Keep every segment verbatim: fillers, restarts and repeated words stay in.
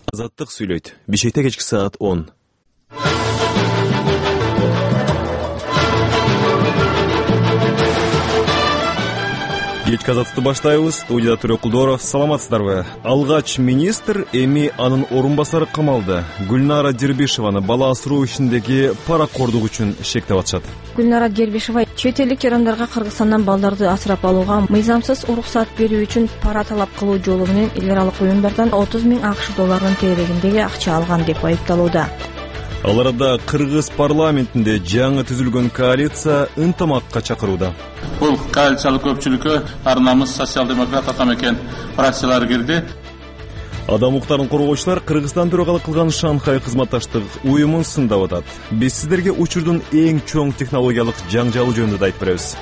Азаттык сүйлөйт. Бишкекте кечки саат он. Кечки азаттыкты баштайбыз. Студияда Төрөк Кулдоров. Саламатсыздарбы? Алгач министр, эми анын орун басары камалды. Гүлнара Дербишеваны бала асыроо ишиндеги паракордук үчүн шектеп атышат. Гүлнара Дербишева чет элдик жарандарга Кыргызстандан балдарды асырап алууга мыйзамсыз уруксат берүү үчүн пара талап кылуу жолу менен эл аралык уюмдардан отуз миң акш долларынын тегерегиндеги акча алган деп айыпталууда. Ал арада Кыргыз парламентинде жаңы түзүлгөн коалиция ынтымакка чакырууда. Бул коалициялык көпчүлүккө ар намыс социал-демократ атамекен фракциялары кирди. Адам укуктарын коргоочулар Кыргызстан төрагалык кылган Шанхай кызматташтык уюмун сындап атат. Биз сиздерге учурдун эң чоң технологиялык жаңжалы жөнүндө да айтып беребиз.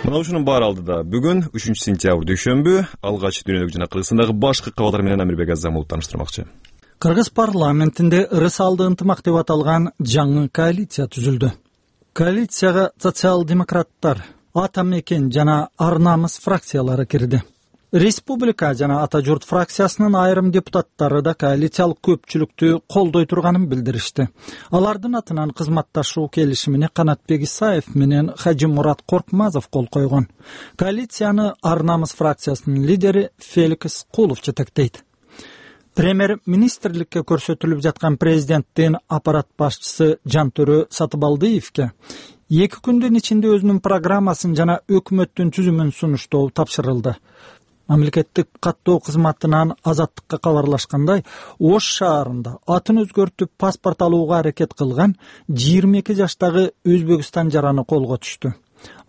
Мына ушунун баары алдыда. Бүгүн үчүнчү сентябрь дүйшөмбү. Алгач дүйнөлүк жана Кыргызстандагы башкы кабарлар менен Амирбек Азамов тааныштырмакчы. Кыргыз парламентинде ырыс алды ынтымак деп аталган жаңы коалиция түзүлдү. Коалицияга социал-демократтар, Атамекен жана Ар намыс фракциялары кирди. Республика жана Ата журт фракциясынын айрым депутаттары да коалициялык көпчүлүктү колдой турганын билдиришти. Алардын атынан кызматташуу келишимине Канатбек Исаев менен Хажимурат Коркмазов кол койгон. Коалицияны Ар намыс фракциясынын лидери Феликс Кулов жетектейт. Премьер-министрликке көрсөтүлүп жаткан президенттин аппарат башчысы Жантөрө Сатыбалдиевке эки күндүн ичинде өзүнүн программасын жана өкмөттүн түзүмүн сунуштоо тапшырылды. Мамлекеттик каттоо кызматынан Азаттыкка кабарлашкандай, Ош шаарында атын өзгөртүп паспорт алууга аракет кылган жыйырма эки жаштагы Өзбекстан жараны колго түштү.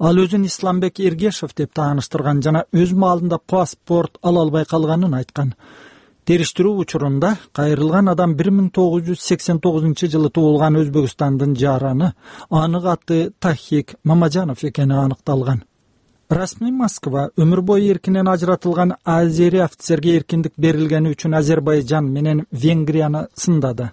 Ал өзүн Исламбек Эргешев деп тааныштырган жана өз маалында паспорт ала албай калганын айткан. Териштирүү учурунда кайрылган адам бир миң тогуз жүз сексен тогузунчу жылы туулган Өзбекстандын жараны, анык аты Тахик Мамажанов экени аныкталган. Расмий Москва өмүр бою эркинен ажыратылган азери офицерге эркиндик берилгени үчүн Азербайжан менен Венгрияны сындады.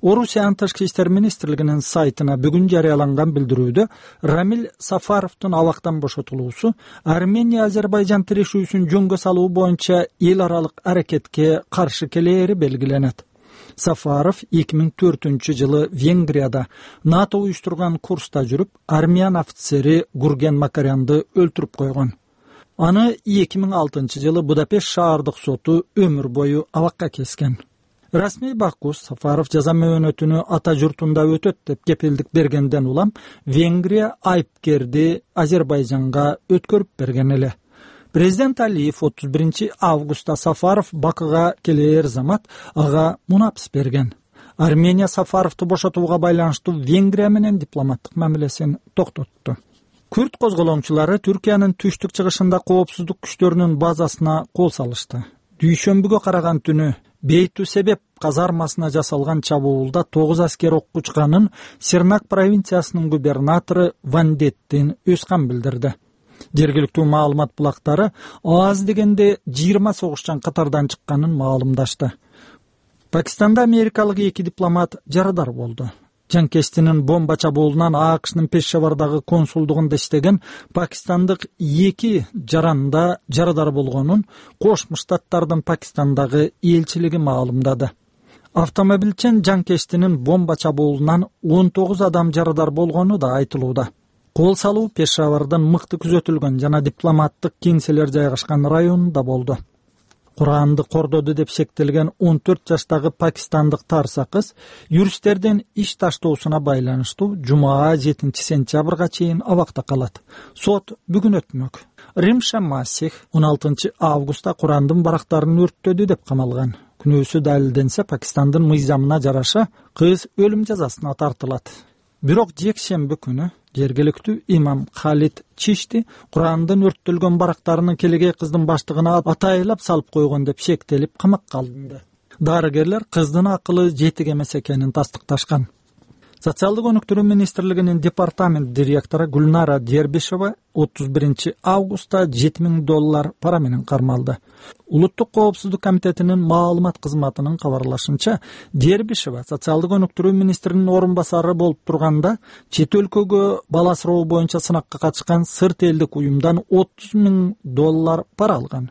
Орусиянын тышкы иштер министрлигинин сайтына бүгүн жарыяланган билдирүүдө Рамил Сафаровдун абактан бошотулуусу Армения Азербайжан тирешүүсүн жөнгө салуу боюнча эл аралык аракетке каршы келери белгиленет. Сафаров эки миң төртүнчү жылы Венгрияда НАТО уюштурган курста жүрүп, армян офицери Гурген Макарянды өлтүрүп койгон. Аны эки миң алтынчы жылы Будапешт шаардык соту өмүр бою абакка кескен. Расмий Баку Сафаров жаза мөөнөтүнө Ата журтунда өтөт деп кепилдик бергенден улам Венгрия айыпкерди Азербайжанга өткөрүп берген эле. Президент Алиев отуз биринчи августта Сафаров Бакыга келээр замат ага мунапс берген. Армения Сафаровду бошотууга байланыштуу Венгрия менен дипломаттык мамилесин токтотту. Күрд козголоңчулары Түркиянын түштүк чыгышында коопсуздук күчтөрүнүн базасына кол салышты. Дүйшөмбүгө караган түнү Бейту себеп казармасына жасалган чабуулда тогуз аскер окко учканын Сирнак провинциясынын губернатору Вандеттин Өзкан билдирди. Жергиликтүү маалымат булактары аз дегенде жыйырма согушчан катардан чыкканын маалымдашты. Пакистанда америкалык эки дипломат жарадар болду. Жанкештинин бомба чабуулунан АКШнын Пешавардагы консулдугунда иштеген пакистандык эки жаранда жарадар болгонун Кошмо Штаттардын Пакистандагы элчилиги маалымдады. Автомобилчен жанкештинин бомба чабуулунан он тогуз адам жарадар болгону да айтылууда. Кол салуу Пешавардын мыкты күзөтүлгөн жана дипломаттык кеңселер жайгашкан районунда болду. Куранды кордоду деп шектелген он төрт жаштагы пакистандык тарса кыз юристтердин иш таштоосуна байланыштуу жумаа жетинчи сентябрга чейин абакта калат. Сот бүгүн өтмөк. Римша Масих он алтынчы августта Курандын барактарын өрттөдү деп камалган. Күнөөсү далилденсе, Пакистандын мыйзамына жараша кыз өлүм жазасына тартылат. Бирок жекшемби күнү жергиликтүү имам Халид Чишти Курандын өрттөлгөн барактарынын келегей кыздын баштыгына атайлап салып койгон деп шектелип камакка алынды. Дарыгерлер кыздын акылы жетик эмес экенин тастыкташкан. Социалдык өнүктүрүү министрлигинин департамент директору Гүлнара Дербишева отуз биринчи августта жети миң доллар пара менен кармалды. Улуттук коопсуздук комитетинин маалымат кызматынын кабарлашынча, Дербишева социалдык өнүктүрүү министринин орун басары болуп турганда чет өлкөгө бала асыроо боюнча сынакка катышкан сырт элдик уюмдан отуз миң доллар пара алган.